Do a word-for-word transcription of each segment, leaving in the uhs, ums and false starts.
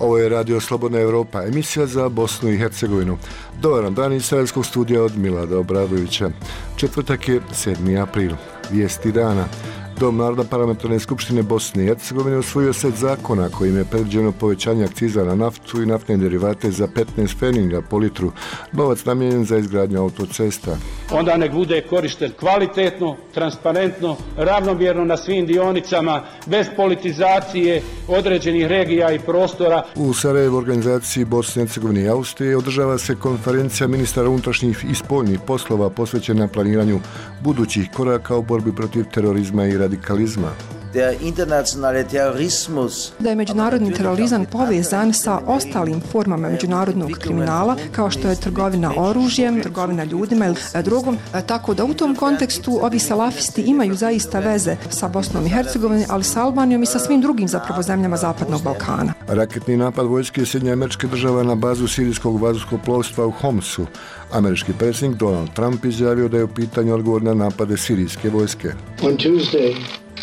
Ovo je Radio Slobodna Evropa, emisija za Bosnu i Hercegovinu. Dobar dan iz Sarajevskog studija od Milada Obradovića. Četvrtak je sedmi april. Vijesti dana. Dom Narodne parlamentarne skupštine Bosne i Hercegovine usvojio set zakona kojim je predviđeno povećanje akciza na naftu i naftne derivate za petnaest pfenninga po litru, novac namijenjen za izgradnju autocesta. Onda nek bude korišten kvalitetno, transparentno, ravnomjerno na svim dionicama, bez politizacije određenih regija i prostora. U Sarajevu, organizaciji Bosne i Hercegovine i Austrije, održava se konferencija ministara unutrašnjih i spoljnih poslova posvećena planiranju budućih koraka u borbi protiv terorizma i radikalizma. Da je međunarodni terorizam povezan sa ostalim formama međunarodnog kriminala, kao što je trgovina oružjem, trgovina ljudima ili drugom, tako da u tom kontekstu ovi salafisti imaju zaista veze sa Bosnom i Hercegovinom, ali sa Albanijom i sa svim drugim zapravo zemljama Zapadnog Balkana. Raketni napad vojske Sjedinjenih Američkih Država na bazu sirijskog vazduhoplovstva u Homsu. Američki predsjednik Donald Trump izjavio da je u pitanju odgovor na napade sirijske vojske. On Tuesday,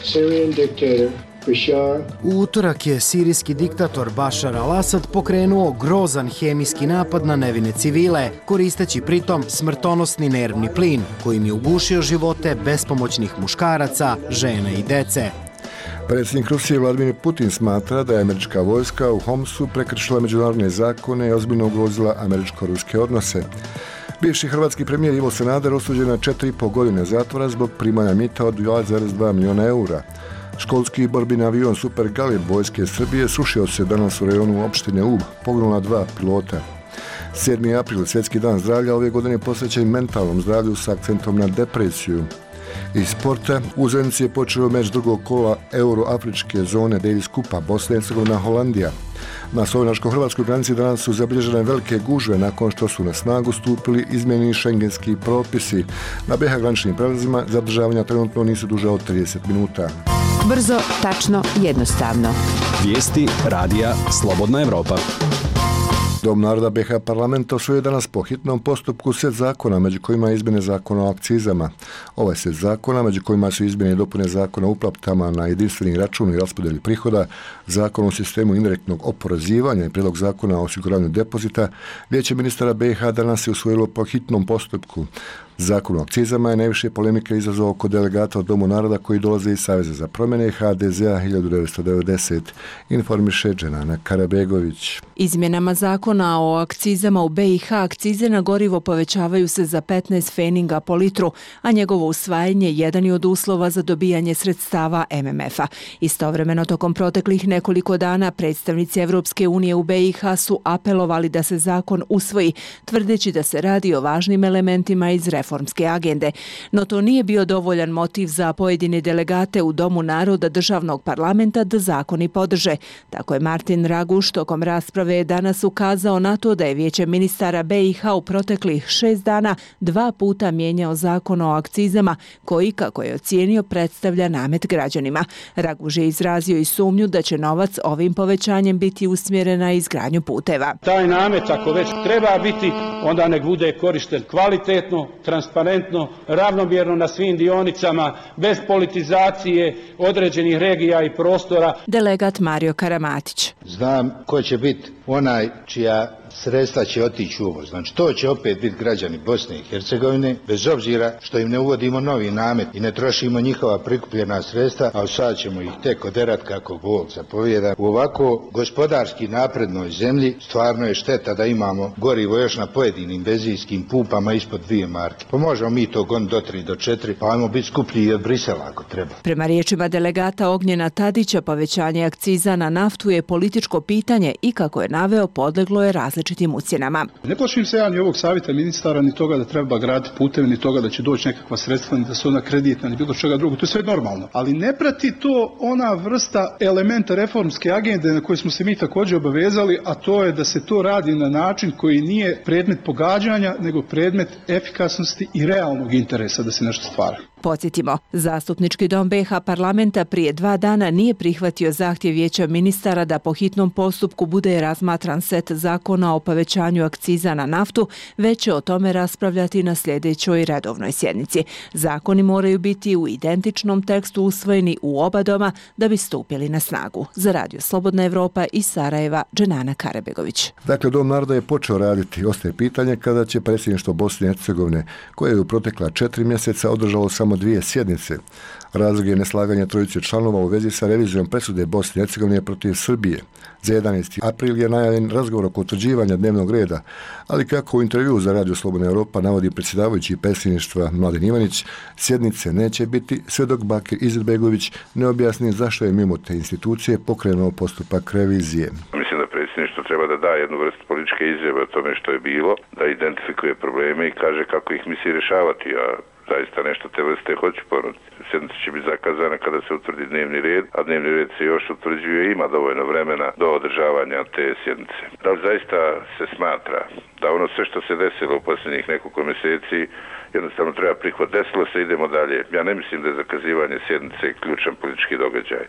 Syrian dictator Bashar U utorak je sirijski diktator Bashar al-Assad pokrenuo grozan hemijski napad na nevine civile, koristeći pritom smrtonosni nervni plin, kojim je ugušio živote bespomoćnih muškaraca, žena i dece. Predsjednik Rusije Vladimir Putin smatra da je američka vojska u Homsu prekršila međunarodne zakone i ozbiljno ugrozila američko-ruske odnose. Bivši hrvatski premijer Ivo Sanader osuđen na četiri i pol godine zatvora zbog primanja mita od dva zarez dva milijuna eura. Školski borbeni avion Super Galeb vojske Srbije srušio se danas u rejonu opštine Ub, poginula dva pilota. sedmi april, Svjetski dan zdravlja, ove godine posvećen mentalnom zdravlju s akcentom na depresiju. Iz sporta, u Zenici je počeo meč drugog kola euroafričke zone Davis Kupa Bosna i Hercegovina Holandija. Na slovenačko-hrvatskoj granici danas su zabilježene velike gužve nakon što su na snagu stupili izmjeni šengenski propisi. Na be ha graničnim prelazima zadržavanja trenutno nisu duže od trideset minuta. Brzo, tačno, jednostavno. Vijesti radija Slobodna Evropa. Dom naroda be ha parlamenta usvojio danas po hitnom postupku set zakona, među kojima je izmjene zakona o akcizama. Ovaj set zakona, među kojima su izmjene i dopune zakona o uplatama na jedinstveni račun i raspodjeli prihoda, zakon o sistemu indirektnog oporezivanja i prijedlog zakona o osiguranju depozita, Vijeće ministara be ha danas je usvojilo po hitnom postupku. Zakon o akcizama je najviše polemike izazvao kod delegata od Domu naroda koji dolaze iz Saveza za promjene ha de ze a hiljadu devetsto devedeset, informiše Dženana Karabegović. Izmjenama zakona o akcizama u be i ha akcize na gorivo povećavaju se za petnaest pfenninga po litru, a njegovo usvajanje jedan je od uslova za dobijanje sredstava em em efa. Istovremeno, tokom proteklih nekoliko dana predstavnici Evropske unije u be i ha su apelovali da se zakon usvoji, tvrdeći da se radi o važnim elementima iz reformske agende. No to nije bio dovoljan motiv za pojedine delegate u Domu naroda državnog parlamenta da zakoni podrže. Tako je Martin Raguš tokom rasprave danas ukazao na to da je Vijeće ministara be i ha u proteklih šest dana dva puta mijenjao zakon o akcizama, koji, kako je ocijenio, predstavlja namet građanima. Raguš je izrazio i sumnju da će novac ovim povećanjem biti usmjeren na izgradnju puteva. Taj namet, ako već treba biti, onda nek bude korišten kvalitetno, transparentno, ravnomjerno na svim dionicama, bez politizacije određenih regija i prostora. Delegat Mario Karamatić. Znam ko će biti onaj čija sredstva će otići u uvoz. Znači to će opet biti građani Bosne i Hercegovine, bez obzira što im ne uvodimo novi namet i ne trošimo njihova prikupljena sredstva, a sad ćemo ih tek oderat kako Bog zapovijeda. U ovako gospodarski naprednoj zemlji stvarno je šteta da imamo gorivo još na pojedinim benzinskim pumpama ispod dvije marke. Pa možemo mi to gon do tri do četiri, pa ajmo biti skuplji i od Brisela ako treba. Prema riječima delegata Ognjena Tadića, povećanje akciza na naftu je političko pitanje i, kako je naveo, podleglo je različitim ucjenama. Ne plašim se ja ni ovog savjeta ministara, ni toga da treba graditi puteve, ni toga da će doći nekakva sredstva, ni da su ona kreditna, ni bilo čega drugo. To je sve normalno. Ali ne prati to ona vrsta elementa reformske agende na koju smo se mi također obavezali, a to je da se to radi na način koji nije predmet pogađanja, nego predmet efikasnosti i realnog interesa da se nešto stvara. Podsjetimo, Zastupnički dom be ha parlamenta prije dva dana nije prihvatio zahtjev Vijeća ministara da po hitnom postupku bude razmatran set zakona sporazuma o povećanju akciza na naftu, već će o tome raspravljati na sljedećoj redovnoj sjednici. Zakoni moraju biti u identičnom tekstu usvojeni u oba doma da bi stupili na snagu. Za Radio Slobodna Evropa iz Sarajeva, Dženana Karebegović. Dakle, Dom naroda je počeo raditi. Ostaje pitanje kada će predsjedništvo Bosne i Hercegovine, koje je u protekla četiri mjeseca održalo samo dvije sjednice. Razlog je neslaganje trojice članova u vezi sa revizijom presude Bosne i Hercegovine protiv Srbije. Za jedanaesti april je najavljen razgovor oko utvrđivanja dnevnog reda, ali kako u intervju za Radio Slobodna Evropa navodi predsjedavajući predsjedništva Mladen Ivanić, sjednice neće biti sve dok Bakir Izetbegović ne objasni zašto je mimo te institucije pokrenuo postupak revizije. Mislim da predsjedništvo treba da da jednu vrstu političke izjave o tome što je bilo, da identifikuje probleme i kaže kako ih misli rješavati, a zaista nešto te vrste hoću ponuditi. Sjednica će biti zakazana kada se utvrdi dnevni red, a dnevni red se još utvrđuje i ima dovoljno vremena do održavanja te sjednice. Da li zaista se smatra da ono sve što se desilo u posljednjih nekoliko mjeseci jednostavno treba prihvat. Desilo se, idemo dalje. Ja ne mislim da je zakazivanje sjednice ključan politički događaj.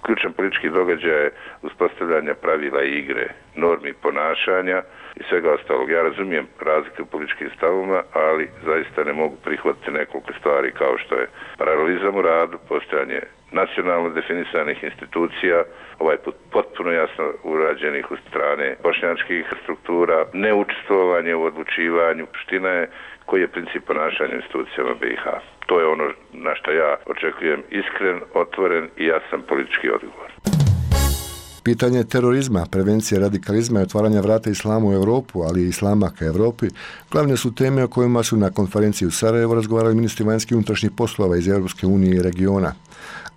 Ključan politički događaj je uspostavljanja pravila igre, normi ponašanja i svega ostalog. Ja razumijem razlike u političkim stavovima, ali zaista ne mogu prihvatiti nekoliko stvari kao što je paralelizam u radu, postojanje nacionalno definisanih institucija, ovaj put potpuno jasno urađenih u strane bošnjačkih struktura, neučestvovanje u odlučivanju. Ština je koji je princip ponašanja institucijama B i H. To je ono na što ja očekujem iskren, otvoren i jasan politički odgovor. Pitanje terorizma, prevencije radikalizma i otvaranja vrata islamu u Europu, ali i islama ka Europi, glavne su teme o kojima su na konferenciji u Sarajevu razgovarali ministri vanjskih i unutrašnjih poslova iz Europske unije i regiona.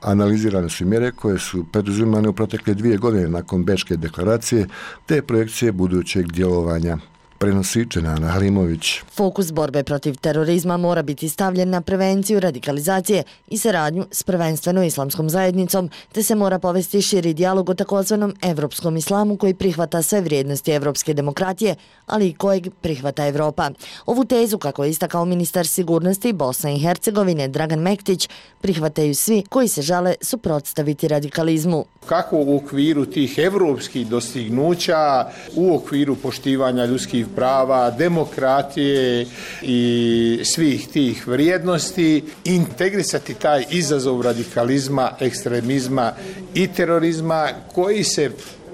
Analizirane su mjere koje su preduzimane u protekle dvije godine nakon Bečke deklaracije te projekcije budućeg djelovanja. Prenosi Dženana Halimović. Fokus borbe protiv terorizma mora biti stavljen na prevenciju radikalizacije i saradnju s prvenstveno islamskom zajednicom, te se mora povesti širi dijalog o takozvanom evropskom islamu koji prihvata sve vrijednosti evropske demokratije, ali i kojeg prihvata Evropa. Ovu tezu, kako je istakao ministar sigurnosti Bosne i Hercegovine Dragan Mektić, prihvataju svi koji se žele suprotstaviti radikalizmu. Kako u okviru tih evropskih dostignuća, u okviru poštivanja ljudskih prava, demokratije i svih tih vrijednosti, integrisati taj izazov radikalizma, ekstremizma i terorizma koji se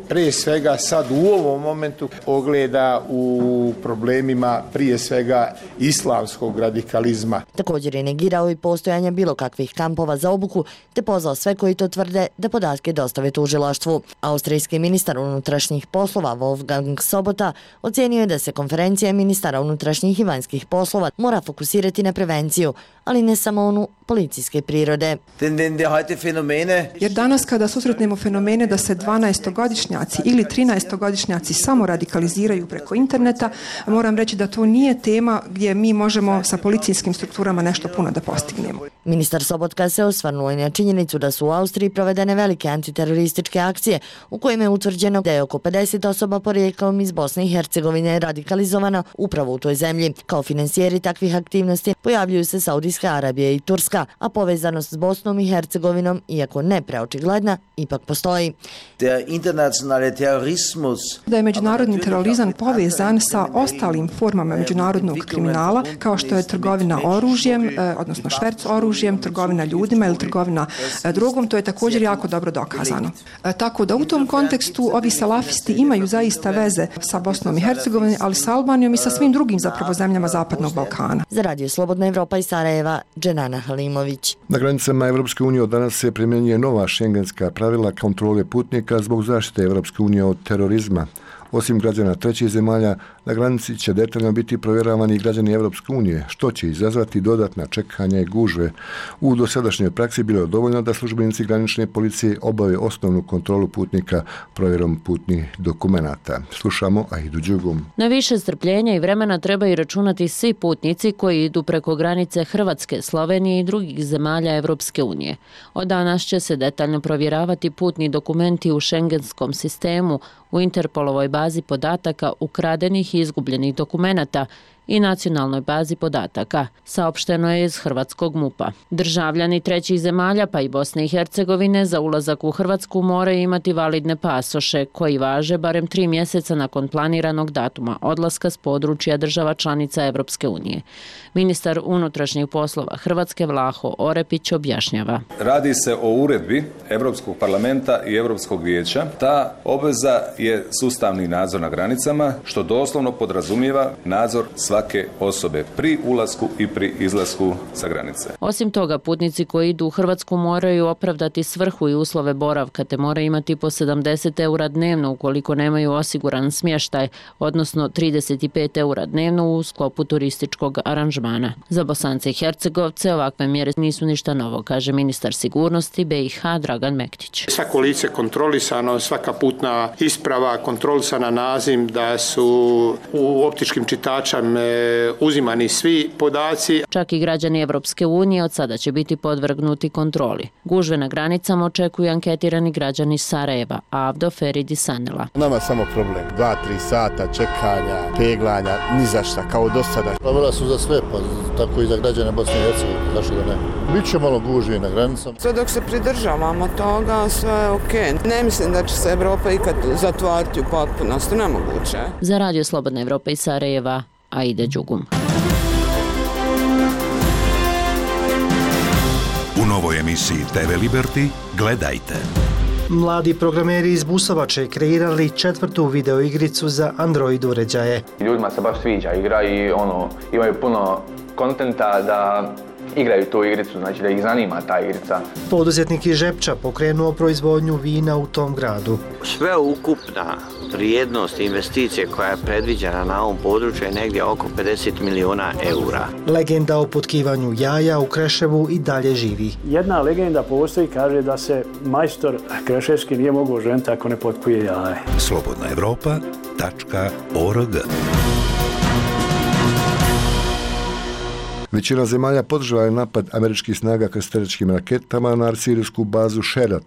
prije svega sad u ovom momentu ogleda u problemima prije svega islamskog radikalizma. Također je negirao i postojanje bilo kakvih kampova za obuku, te pozvao sve koji to tvrde da podatke dostave tužilaštvu. Austrijski ministar unutrašnjih poslova Wolfgang Sobota ocijenio je da se konferencija ministara unutrašnjih i vanjskih poslova mora fokusirati na prevenciju, ali ne samo onu policijske prirode. Jer danas kada susretnemo fenomene da se dvanaestogodišnjaci ili trinaestogodišnjaci samo radikaliziraju preko interneta, moram reći da to nije tema gdje mi možemo sa policijskim strukturama nešto puno da postignemo. Ministar Sobotka se osvrnuo i na činjenicu da su u Austriji provedene velike antiterorističke akcije u kojima je utvrđeno da je oko pedeset osoba porijeklom iz Bosne i Hercegovine radikalizovano upravo u toj zemlji. Kao financijeri takvih aktivnosti pojavljuju se Saudijska Arabija i Turska, a povezanost s Bosnom i Hercegovinom, iako ne preočigledna, ipak postoji. Da je međunarodni terorizam povezan sa ostalim formama međunarodnog kriminala, kao što je trgovina oružjem, odnosno šverc oružjem, trgovina ljudima ili trgovina drogom, to je također jako dobro dokazano. Tako da u tom kontekstu ovi salafisti imaju zaista veze sa Bosnom i Hercegovinom, ali sa Albanijom i sa svim drugim zapravo zemljama Zapadnog Balkana. Za Radio Slobodna Evropa iz Sarajeva, Dženana Halimović. Na granicama Evropske unije od danas se primjenjuje nova šengenska pravila kontrole putnika zbog zaštite Evropske unije od terorizma. Osim građana trećih zemalja, na granici će detaljno biti provjeravani i građani Evropske unije, što će izazvati dodatna čekanja i gužve. U dosadašnjoj praksi bilo je dovoljno da službenici granične policije obave osnovnu kontrolu putnika provjerom putnih dokumenata. Slušamo Aidu Đugum. Na više strpljenja i vremena trebaju računati svi putnici koji idu preko granice Hrvatske, Slovenije i drugih zemalja Evropske unije. Od danas će se detaljno provjeravati putni dokumenti u šengenskom sistemu, u Interpolovoj bazi podataka ukradenih i izgubljenih dokumenata i nacionalnoj bazi podataka, saopšteno je iz hrvatskog MUP-a. Državljani trećih zemalja pa i Bosne i Hercegovine za ulazak u Hrvatsku moraju imati validne pasoše koji važe barem tri mjeseca nakon planiranog datuma odlaska s područja država članica Evropske unije. Ministar unutrašnjih poslova Hrvatske Vlaho Orepić objašnjava. Radi se o uredbi Europskog parlamenta i Europskog vijeća. Ta obveza je sustavni nadzor na granicama, što doslovno podrazumijeva nadzor svake osobe pri ulasku i pri izlasku sa granice. Osim toga, putnici koji idu u Hrvatsku moraju opravdati svrhu i uslove boravka, te moraju imati po sedamdeset eura dnevno ukoliko nemaju osiguran smještaj, odnosno trideset pet eura dnevno u sklopu turističkog aranžmana. Za Bosance i Hercegovce ovakve mjere nisu ništa novo, kaže ministar sigurnosti B i H Dragan Mektić. Svako lice kontrolisano, svaka putna isprava kontrolisana, naziv, da su u optičkim čitačama uzimani svi podaci. Čak i građani Evropske unije od sada će biti podvrgnuti kontroli. Gužve na granicama očekuju anketirani građani Sarajeva, Avdo Feridi Sanela. Nama samo problem. Dva, tri sata čekanja, peglanja, ni za šta, kao do sada. Pravila su za sve, pa tako i za građane Bosne i Hercegovine, zašto da ne? Biće malo gužvi na granicama. Sve dok se pridržavamo toga, sve je okej. Ne mislim da će se Evropa ikad zatvoriti u potpunosti, nemoguće. Za Radio Slobodna Evropa iz Sarajeva, Aida Đugum. U novoj emisiji T V Liberty gledajte. Mladi programeri iz Busovače kreirali četvrtu videoigricu za Android uređaje. Ljudima se baš sviđa igra i ono, imaju puno kontenta da igraju tu igricu, znači da ih zanima ta igrica. Poduzetnik iz Žepča pokrenuo proizvodnju vina u tom gradu. Sve ukupna vrijednost investicije koja je predviđena na ovom području je negdje oko pedeset miliona eura. Legenda o potkivanju jaja u Kreševu i dalje živi. Jedna legenda postoji, kaže da se majstor kreševski nije mogao ženiti ako ne potkuje jaje. slobodna evropa tačka org. Većina zemalja podržala je napad američkih snaga krstarećkim raketama na sirijsku bazu Šerat,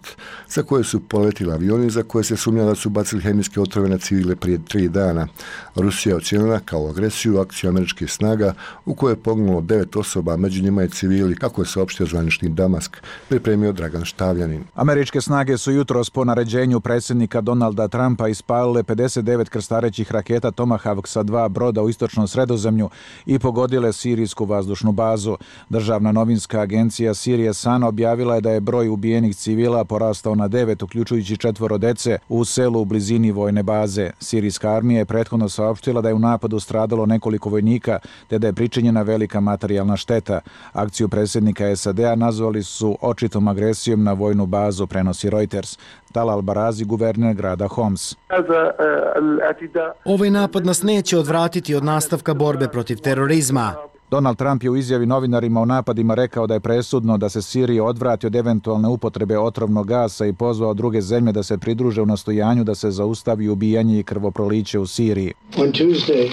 za koje su poletili avioni za koje se sumnja da su bacili hemijske otrove na civile prije tri dana. Rusija je ocijenila kao agresiju akciju američkih snaga u kojoj je poginulo devet osoba, među njima i civili, kako je saopštio zvanični Damask, pripremio Dragan Štavljanin. Američke snage su jutros po naređenju predsjednika Donalda Trumpa ispalile pedeset devet krstarećih raketa Tomahawk sa dva broda u istočnom Sredozemlju i pogodile sirijsku vazdušnu bazu. Državna novinska agencija Sirije Sana objavila je da je broj ubijenih civila porastao na devet, uključujući četvoro dece u selu u blizini vojne baze. Sirijska armija je prethodno saopštila da je u napadu stradalo nekoliko vojnika, te da je pričinjena velika materijalna šteta. Akciju predsjednika S A D-a nazvali su očitom agresijom na vojnu bazu, prenosi Reuters. Talal Barazi, guverner grada Homs. Ovaj napad nas neće odvratiti od nastavka borbe protiv terorizma. Donald Trump je u izjavi novinarima o napadima rekao da je presudno da se Sirija odvrati od eventualne upotrebe otrovnog gasa i pozvao druge zemlje da se pridruže u nastojanju da se zaustavi ubijanje i krvoproliće u Siriji. On Tuesday,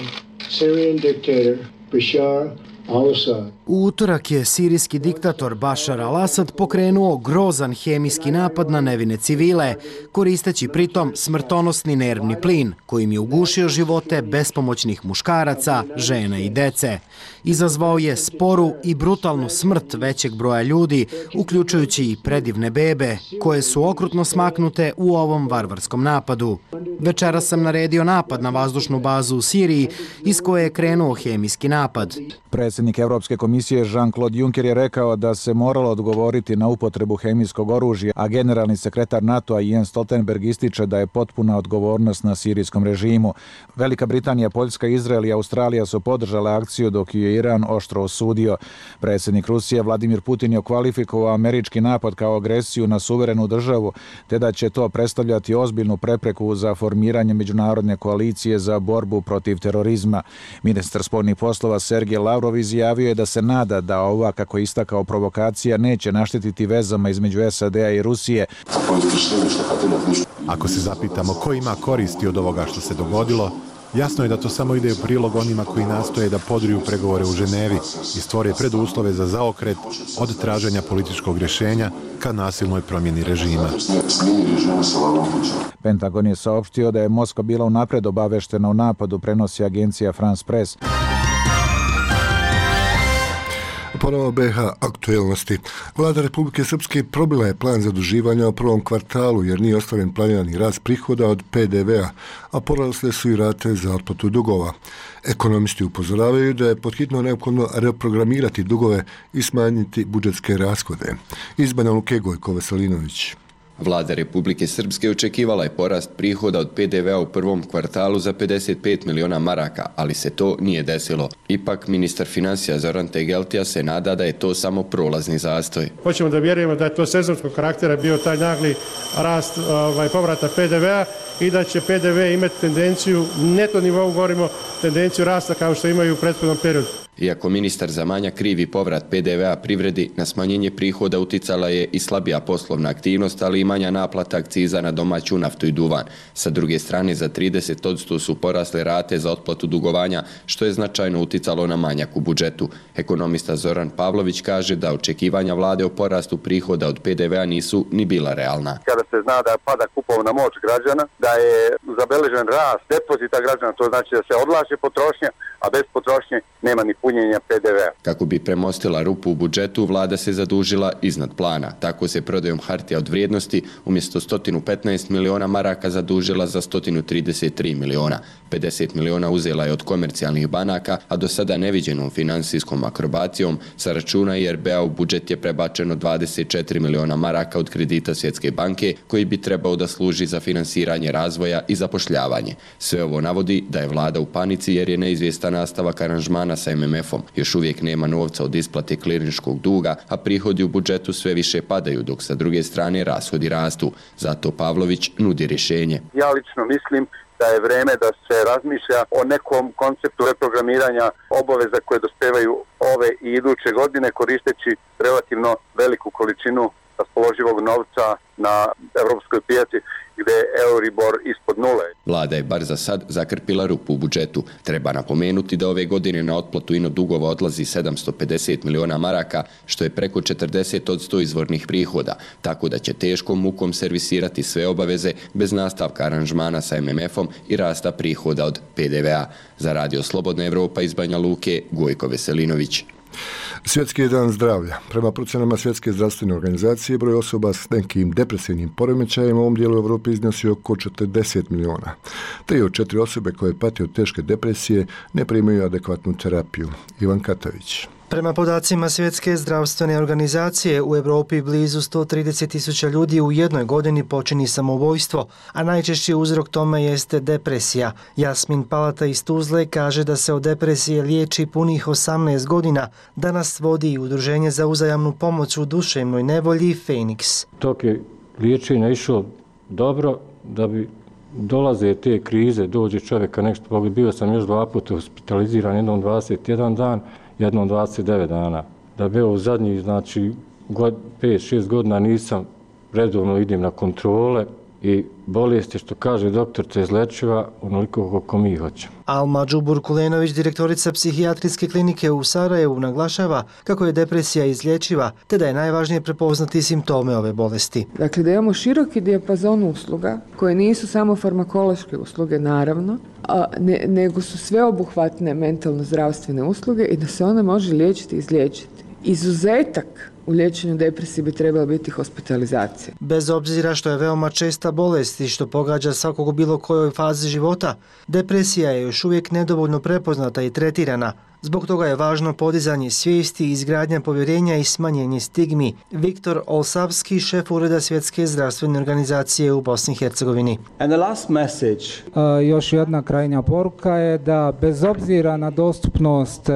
Syrian dictator Bashar al-Assad U utorak je sirijski diktator Bashar al-Assad pokrenuo grozan hemijski napad na nevine civile, koristeći pritom smrtonosni nervni plin, kojim je ugušio živote bespomoćnih muškaraca, žena i dece. Izazvao je sporu i brutalnu smrt većeg broja ljudi, uključujući i predivne bebe, koje su okrutno smaknute u ovom varvarskom napadu. Večera sam naredio napad na vazdušnu bazu u Siriji, iz koje je krenuo hemijski napad. Predsjednik Evropske komisije Jean-Claude Juncker je rekao da se moralo odgovoriti na upotrebu hemijskog oružja, a generalni sekretar NATO-a Jens Stoltenberg ističe da je potpuna odgovornost na sirijskom režimu. Velika Britanija, Poljska, Izrael i Australija su podržale akciju, dok je Iran oštro osudio. Predsjednik Rusije Vladimir Putin je kvalifikovao američki napad kao agresiju na suverenu državu, te da će to predstavljati ozbiljnu prepreku za formiranje međunarodne koalicije za borbu protiv terorizma. Ministar spoljnih poslova Sergej Lavrov izjavio je da se nada da ova, kako je istakao, provokacija neće naštetiti vezama između S A D-a i Rusije. Ako se zapitamo ko ima koristi od ovoga što se dogodilo, jasno je da to samo ide u prilog onima koji nastoje da podriju pregovore u Ženevi i stvore preduslove za zaokret od traženja političkog rješenja ka nasilnoj promjeni režima. Pentagon je saopštio da je Moskva bila unapred obaveštena o napadu, prenosi agencija France Press. Ponovo B iH aktuelnosti. Vlada Republike Srpske probila je plan zaduživanja u prvom kvartalu jer nije ostvaren planirani rast prihoda od P D V-a, a porasle su i rate za otplatu dugova. Ekonomisti upozoravaju da je podhitno neophodno reprogramirati dugove i smanjiti budžetske rashode. Iz Banja Luke, Gojko Veselinović. Vlada Republike Srpske očekivala je porast prihoda od P D V-a u prvom kvartalu za pedeset pet miliona maraka, ali se to nije desilo. Ipak, ministar financija Zoran Tegeltija se nada da je to samo prolazni zastoj. Hoćemo da vjerujemo da je to sezonskog karaktera bio taj nagli rast ovaj, povrata P D V-a i da će P D V imati tendenciju, neto nivou govorimo, tendenciju rasta kao što imaju u prethodnom periodu. Iako ministar za manja krivi povrat P D V-a privredi, na smanjenje prihoda uticala je i slabija poslovna aktivnost, ali i manja naplata akciza na domaću naftu i duvan. Sa druge strane, za trideset posto su porasle rate za otplatu dugovanja, što je značajno uticalo na manjak u budžetu. Ekonomista Zoran Pavlović kaže da očekivanja vlade o porastu prihoda od P D V-a nisu ni bila realna. Kada se zna da pada kupovna moć građana, da je zabeležen rast depozita građana, to znači da se odlaže potrošnja, a bez potrošnje nema ni punjenja P D V-a. Kako bi premostila rupu u budžetu, vlada se zadužila iznad plana. Tako se prodajom hartija od vrijednosti umjesto sto petnaest miliona maraka zadužila za sto trideset tri miliona. pedeset miliona uzela je od komercijalnih banaka, a do sada neviđenom finansijskom akrobacijom sa računa I R B-a u budžet je prebačeno dvadeset četiri miliona maraka od kredita Svjetske banke, koji bi trebao da služi za finansiranje razvoja i zapošljavanje. Sve ovo navodi da je vlada u panici jer je neizvjestan nastavak aranžmana sa M M F-om. Još uvijek nema novca od isplate klirinškog duga, a prihodi u budžetu sve više padaju, dok sa druge strane rashodi rastu. Zato Pavlović nudi rješenje. Ja lično mislim da je vreme da se razmišlja o nekom konceptu reprogramiranja obaveza koje dospevaju ove i iduće godine, koristeći relativno veliku količinu raspoloživog novca na evropskoj pijaci gdje je Euribor ispod nule. Vlada je bar za sad zakrpila rupu u budžetu. Treba napomenuti da ove godine na otplatu ino dugova odlazi sedamsto pedeset miliona maraka, što je preko četrdeset posto izvornih prihoda, tako da će teškom mukom servisirati sve obaveze bez nastavka aranžmana sa M M F-om i rasta prihoda od P D V-a. Za Radio Slobodna Evropa iz Banja Luke, Gojko Veselinović. Svjetski je dan zdravlja. Prema procenama Svjetske zdravstvene organizacije, broj osoba s nekim depresivnim poremećajima u ovom dijelu Evrope iznosi oko četrdeset miliona. Tri od četiri osobe koje pate od teške depresije ne primaju adekvatnu terapiju. Ivan Katavić. Prema podacima Svjetske zdravstvene organizacije, u Evropi blizu sto trideset tisuća ljudi u jednoj godini počini samoubojstvo, a najčešći uzrok tome jeste depresija. Jasmin Palata iz Tuzle kaže da se od depresije liječi punih osamnaest godina. Danas vodi i udruženje za uzajamnu pomoć u duševnoj nevolji Feniks. Tok je liječenje išlo dobro, da bi dolaze te krize, dođe čovjeka nešto, bio sam još dva puta hospitaliziran, jednom dvadeset jedan dan, jednom dvadeset devet dana. Da bi u zadnjih, znači, pet šest godina nisam redovno idem na kontrole i bolest je, što kaže doktor, te izlečiva onoliko koliko mi hoćemo. Alma Đubur-Kulenović, direktorica psihijatrijske klinike u Sarajevu, naglašava kako je depresija izlječiva, te da je najvažnije prepoznati simptome ove bolesti. Dakle, da imamo široki dijapazon usluga, koje nisu samo farmakološke usluge, naravno, a ne, nego su sveobuhvatne mentalno-zdravstvene usluge i da se ona može liječiti i izliječiti. Izuzetak u liječenju depresije bi trebala biti hospitalizacija. Bez obzira što je veoma česta bolest i što pogađa svakog u bilo kojoj fazi života, depresija je još uvijek nedovoljno prepoznata i tretirana. Zbog toga je važno podizanje svijesti, izgradnja povjerenja i smanjenje stigmi. Viktor Olsavski, šef Ureda Svjetske zdravstvene organizacije u Bosni i Hercegovini. And the last message. Uh, još jedna krajnja poruka je da bez obzira na dostupnost uh,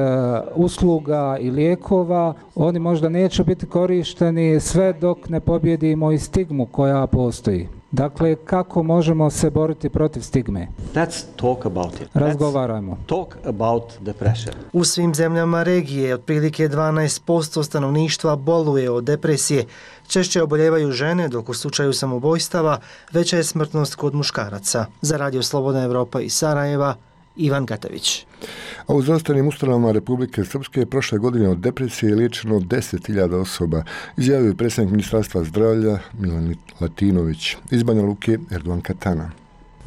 usluga i lijekova, oni možda neće biti korišteni sve dok ne pobjedimo i stigmu koja postoji. Dakle, kako možemo se boriti protiv stigme? Let's talk about it. Razgovarajmo. Let's talk about depression. U svim zemljama regije otprilike dvanaest posto stanovništva boluje od depresije. Češće oboljevaju žene, dok u slučaju samoubojstava veća je smrtnost kod muškaraca. Za Radio Slobodna Evropa iz Sarajeva, Ivan Katavić. A u zdravstvenim ustanovama Republike Srpske prošle godine od depresije je liječeno deset hiljada osoba, izjavio je predsjednik Ministarstva zdravlja Milan Latinović. Iz Banja Luke, Erdogan Katana.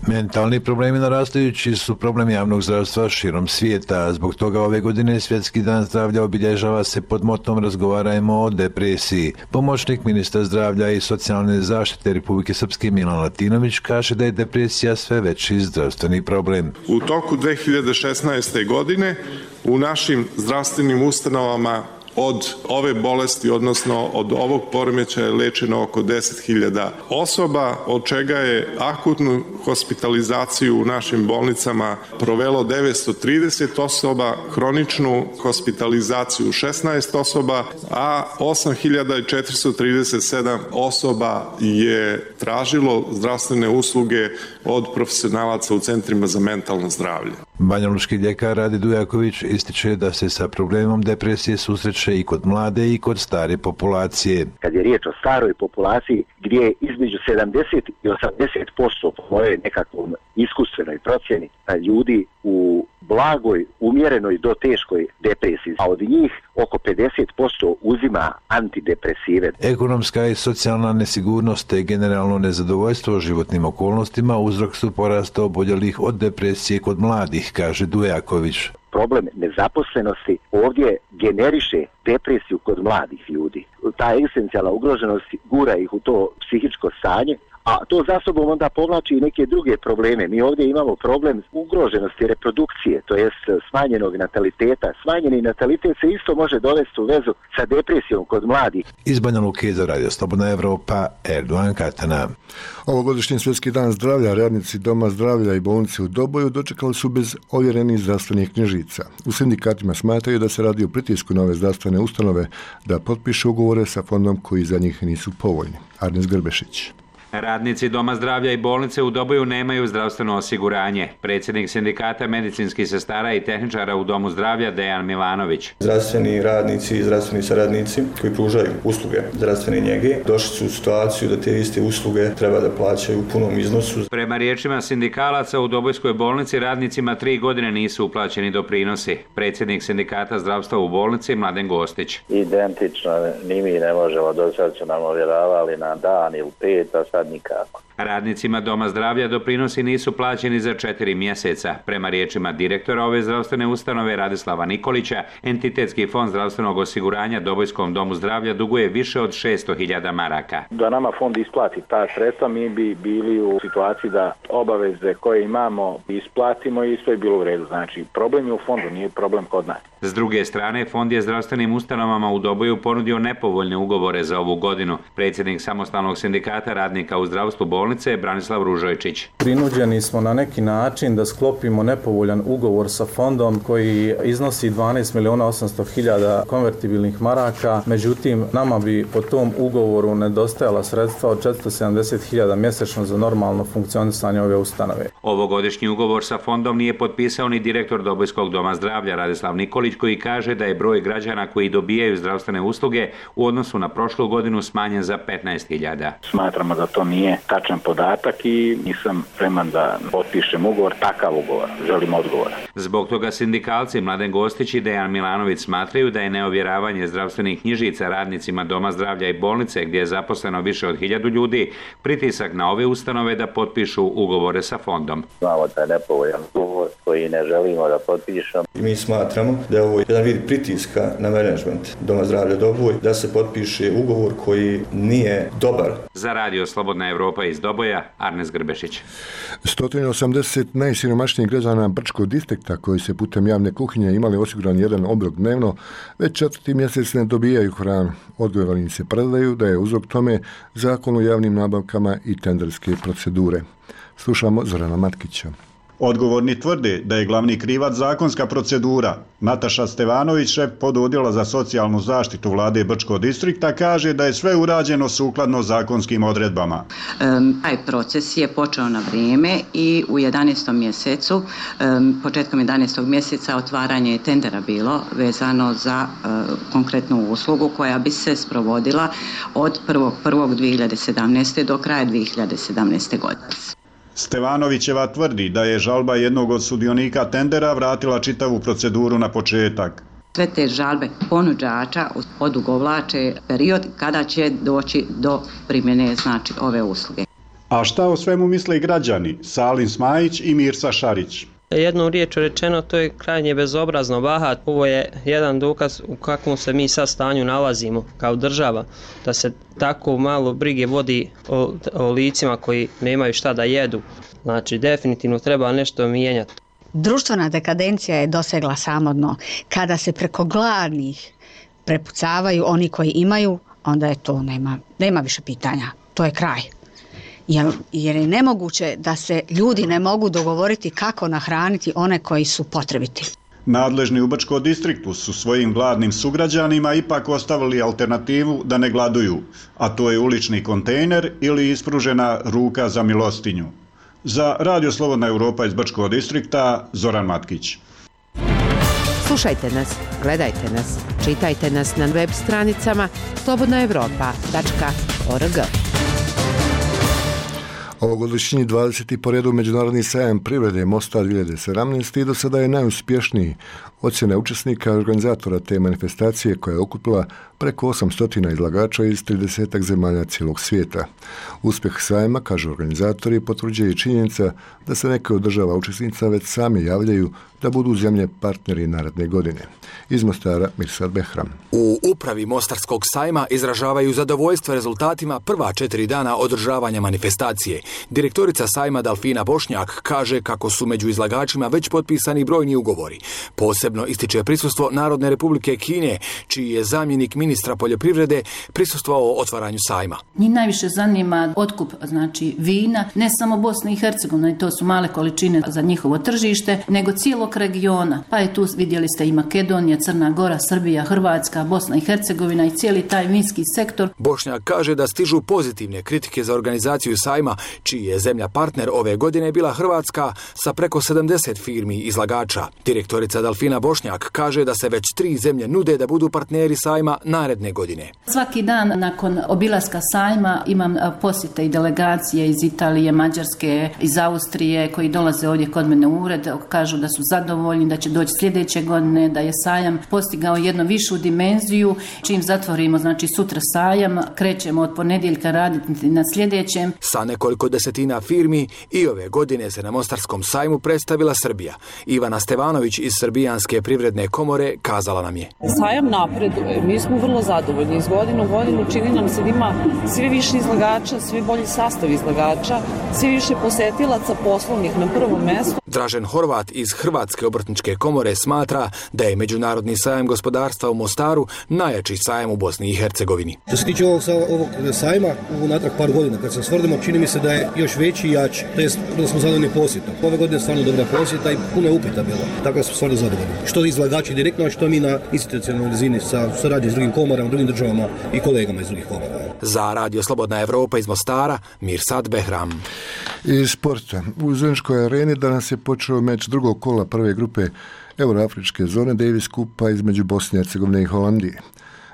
Mentalni problemi narastajući su problem javnog zdravstva širom svijeta. Zbog toga ove godine Svjetski dan zdravlja obilježava se pod motom Razgovarajmo o depresiji. Pomoćnik ministra zdravlja i socijalne zaštite Republike Srpske Milan Latinović kaže da je depresija sve veći zdravstveni problem. U toku dve hiljade šesnaeste. godine u našim zdravstvenim ustanovama od ove bolesti, odnosno od ovog poremećaja je lečeno oko deset hiljada osoba, od čega je akutnu hospitalizaciju u našim bolnicama provelo devetsto trideset osoba, hroničnu hospitalizaciju šesnaest osoba, a osam hiljada četiristo trideset sedam osoba je tražilo zdravstvene usluge od profesionalaca u centrima za mentalno zdravlje. Banjalučki ljekar Rade Dujaković ističe da se sa problemom depresije susreće i kod mlade i kod stare populacije. Kad je riječ o staroj populaciji gdje je između sedamdeset i osamdeset posto po mojoj nekakvom iskustvenoj procjeni ljudi u blagoj, umjerenoj do teškoj depresiji, a od njih oko pedeset posto uzima antidepresive. Ekonomska i socijalna nesigurnost te generalno nezadovoljstvo životnim okolnostima uzrok su porasta oboljelih od depresije kod mladih, kaže Dujaković. Problem nezaposlenosti ovdje generiše depresiju kod mladih ljudi. Ta egzistencijalna ugroženost gura ih u to psihičko stanje, a to za sobom onda povlači i neke druge probleme. Mi ovdje imamo problem ugroženosti reprodukcije, to jest smanjenog nataliteta. Smanjeni natalitet se isto može dovesti u vezu sa depresijom kod mladih. Iz Banja Luke za Radio Slobodna Evropa, Erdogan Katana. Ovogodišnji Svjetski dan zdravlja radnici Doma zdravlja i bolnice u Doboju dočekali su bez ovjerenih zdravstvenih knjižica. U sindikatima smatraju da se radi o pritisku na ove zdravstvene ustanove da potpišu ugovore sa fondom koji za njih nisu povoljni. Arnes Grbešić. Radnici Doma zdravlja i bolnice u Doboju nemaju zdravstveno osiguranje. Predsjednik sindikata medicinskih sestara i tehničara u Domu zdravlja Dejan Milanović. Zdravstveni radnici i zdravstveni saradnici koji pružaju usluge zdravstvene njege došli su u situaciju da te iste usluge treba da plaćaju u punom iznosu. Prema riječima sindikalaca u Dobojskoj bolnici radnicima tri godine nisu uplaćeni doprinosi. Predsjednik sindikata zdravstva u bolnici Mladen Gostić. Identično, ni mi ne možemo, do sad su nam ovjeravali na dan ili pet, a sad nikako. Radnicima Doma zdravlja doprinosi nisu plaćeni za četiri mjeseca. Prema riječima direktora ove zdravstvene ustanove Radislava Nikolića, Entitetski fond zdravstvenog osiguranja Dobojskom domu zdravlja duguje više od šesto hiljada maraka. Da nama fond isplati ta sredstva, mi bi bili u situaciji da obaveze koje imamo isplatimo i sve je bilo u redu. Znači, problem je u fondu, nije problem kod nas. S druge strane, fond je zdravstvenim ustanovama u Doboju ponudio nepovoljne ugovore za ovu godinu. Predsjednik samostalnog sindikata radnika u zdravstvu bolnice Branislav Ružojčić. Prinuđeni smo na neki način da sklopimo nepovoljan ugovor sa fondom koji iznosi dvanaest milijuna osamsto hiljada konvertibilnih maraka, međutim nama bi po tom ugovoru nedostajala sredstva od četiristo sedamdeset hiljada mjesečno za normalno funkcionisanje ove ustanove. Ovogodišnji ugovor sa fondom nije potpisao ni direktor Dobojskog doma zdravlja Radislav Nikolić, koji kaže da je broj građana koji dobijaju zdravstvene usluge u odnosu na prošlu godinu smanjen za petnaest hiljada. Smatramo da to nije tačan podatak i nisam spreman da potpišem ugovor, takav ugovor. Želim odgovor. Zbog toga sindikalci Mladen Gostić i Dejan Milanović smatraju da je neovjeravanje zdravstvenih knjižica radnicima Doma zdravlja i bolnice, gdje je zaposleno više od hiljadu ljudi, pritisak na ove ustanove da potpišu ugovore sa fondom. Znamo da je nepovoljan ugovor koji ne želimo da potpišemo. Mi smatramo da je ovo jedan vid pritiska na menadžment Doma zdravlja Doboj da se potpiše ugovor koji nije dobar. Za Radio Slobodna Evropa iz Doboja, Arnes Grbešić. sto osamdeset najsiromašnijih građana Brčkog distrikta koji se putem javne kuhinje imali osiguran jedan obrok dnevno, već četvrti mjesec ne dobijaju hranu. Odgovorni se predaju da je uzrok tome Zakon o javnim nabavkama i tenderske procedure. Slušamo Zorana Matkića. Odgovorni tvrde da je glavni krivac zakonska procedura. Nataša Stevanović, šef pododjela za socijalnu zaštitu vlade Brčkog distrikta, kaže da je sve urađeno sukladno zakonskim odredbama. Um, taj proces je počeo na vrijeme i u jedanaestom mjesecu, um, početkom jedanaestog mjeseca otvaranje je tendera bilo vezano za uh, konkretnu uslugu koja bi se sprovodila od prvog prvog dvije hiljade sedamnaeste. do kraja dvije hiljade sedamnaeste. godine. Stevanovićeva tvrdi da je žalba jednog od sudionika tendera vratila čitavu proceduru na početak. Sve te žalbe ponuđača odugovlače period kada će doći do primjene znači ove usluge. A šta o svemu misle građani? Salim Smajić i Mirsa Šarić. Jednom riječu rečeno, to je krajnje bezobrazno, bahat. Ovo je jedan dokaz u kakvom se mi sad stanju nalazimo kao država, da se tako malo brige vodi o, o licima koji nemaju šta da jedu. Znači, definitivno treba nešto mijenjati. Društvena dekadencija je dosegla samo dno. Kada se preko gladnih prepucavaju oni koji imaju, onda je to, nema, nema više pitanja. To je kraj. Jer, jer je nemoguće da se ljudi ne mogu dogovoriti kako nahraniti one koji su potrebiti. Nadležni u Brčkom distriktu su svojim gladnim sugrađanima ipak ostavili alternativu da ne gladuju, a to je ulični kontejner ili ispružena ruka za milostinju. Za Radio Slobodna Europa iz Brčkog distrikta, Zoran Matkić. Slušajte nas, gledajte nas, čitajte nas na web stranicama slobodna europa tačka org. Ovogodišnji dvadeseti po redu Međunarodni sajam privrede Mostar dvije hiljade sedamnaeste i do sada je najuspješniji. Ocjena učesnika i organizatora te manifestacije koja je okupila preko osamsto izlagača iz trideset zemalja cijelog svijeta. Uspjeh sajma, kažu organizatori, potvrđuje i činjenica da se neke od država učesnica već sami javljaju da budu zemlje partneri naredne godine. Iz Mostara Mirsad Behram. U upravi Mostarskog sajma izražavaju zadovoljstvo rezultatima prva četiri dana održavanja manifestacije. Direktorica sajma Dalfina Bošnjak kaže kako su među izlagačima već potpisani brojni ugovori. Posebno ističe prisustvo Narodne Republike Kine, čiji je zamjenik ministra poljoprivrede prisustvovao otvaranju sajma. Njih najviše zanima otkup, znači vina, ne samo Bosne i Hercegovine, to su male količine za njihovo tržište, nego cijelog regiona. Pa je tu, vidjeli ste, i Makedonija, Crna Gora, Srbija, Hrvatska, Bosna i Hercegovina i cijeli taj vinski sektor. Bošnjak kaže da stižu pozitivne kritike za organizaciju sajma, čiji je zemlja partner ove godine bila Hrvatska sa preko sedamdeset firmi izlagača. Direktorica Dalfina Bošnjak kaže da se već tri zemlje nude da budu partneri sajma naredne godine. Svaki dan nakon obilaska sajma imam posjete i delegacije iz Italije, Mađarske, iz Austrije koji dolaze ovdje kod mene u ured, kažu da su zadovoljni, da će doći sljedeće godine, da je sajam postigao jednu višu dimenziju. Čim zatvorimo, znači sutra sajam, krećemo od ponedjeljka raditi na sljedećem. Sa nekoliko desetina firmi i ove godine se na Mostarskom sajmu predstavila Srbija. Ivana Stevanović iz Srbijanske privredne komore kazala nam je: Sajam napreduje, mi smo vrlo zadovoljni. Iz godine u godinu čini nam se da ima sve više izlagača, sve bolji sastav izlagača, sve više posetilaca poslovnih na prvom mjestu. Dražen Horvat iz Hrvatske obrtničke komore smatra da je Međunarodni sajam gospodarstva u Mostaru najjači sajam u Bosni i Hercegovini. Što se tiče ovog, ovog sajma, u natrag par godina, kad se svrdimo, čini mi se da je još veći i jači. To je da smo zadovoljni posjetom. Ove godine je stvarno dobra posjeta i puno je upita bilo. Tako da smo stvarno zadovoljni. Što izlagači direktno, a što mi na institucionalnoj razini sa suradnjom s drugim komorama, drugim državama i kolegama iz drugih komora. Za Radio Slobodna Evropa iz Mostara, Mirsad Behram. Iz sporta. U Zeničkoj areni danas je počeo meč drugog kola prve grupe Euroafričke zone Davis Kupa između Bosne i Hercegovine i Holandije.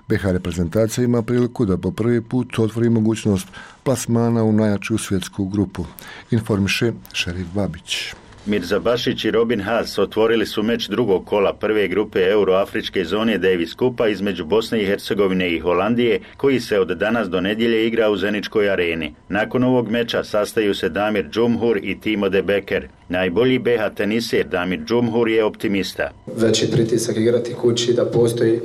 B H reprezentacija ima priliku da po prvi put otvori mogućnost plasmana u najjaču svjetsku grupu. Informiše Šerif Babić. Mirza Bašić i Robin Haas otvorili su meč drugog kola prve grupe Euroafričke zone Davis Kupa između Bosne i Hercegovine i Holandije, koji se od danas do nedjelje igra u Zeničkoj areni. Nakon ovog meča sastaju se Damir Džumhur i Timo de Becker. Najbolji B H teniser Damir Džumhur je optimista. Veći pritisak igrati kući, da postoji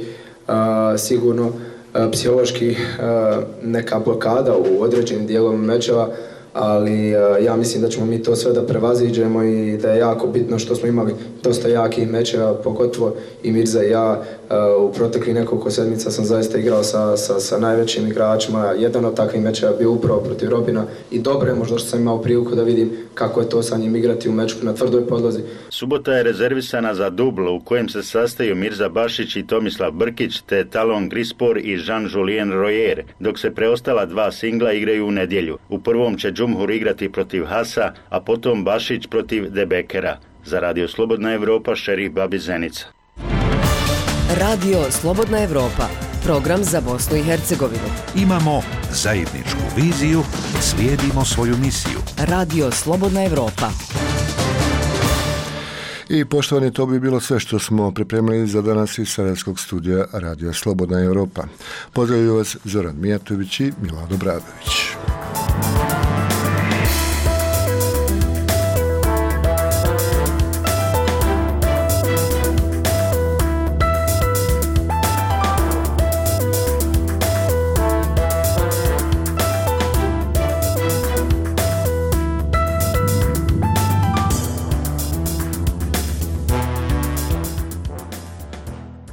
a, sigurno a, psihološki a, neka blokada u određenim dijelovima mečeva, ali ja mislim da ćemo mi to sve da prevaziđemo i da je jako bitno što smo imali dosta jakih mečeva, pogotovo i Mirza i ja. U proteklih nekoliko sedmica sam zaista igrao sa, sa, sa najvećim igračima. Jedan od takvih mečeva bio upravo protiv Robina i dobro je možda što sam imao priliku da vidim kako je to sa njim igrati u meču na tvrdoj podlozi. Subota je rezervisana za dubl u kojem se sastaju Mirza Bašić i Tomislav Brkić te Talon Grispor i Jean-Julien Royer, dok se preostala dva singla igraju u nedjelju. U prvom će Džumhur igrati protiv Hasa, a potom Bašić protiv De Bekera. Za Radio Slobodna Evropa, Šerif Babi Zenica. Radio Slobodna Evropa, program za Bosnu i Hercegovinu. Imamo zajedničku viziju, slijedimo svoju misiju. Radio Slobodna Evropa. I poštovani, to bi bilo sve što smo pripremili za danas iz Sarajevskog studija Radio Slobodna Evropa. Pozdravljaju vas Zoran Mijatović i Milado Bradović.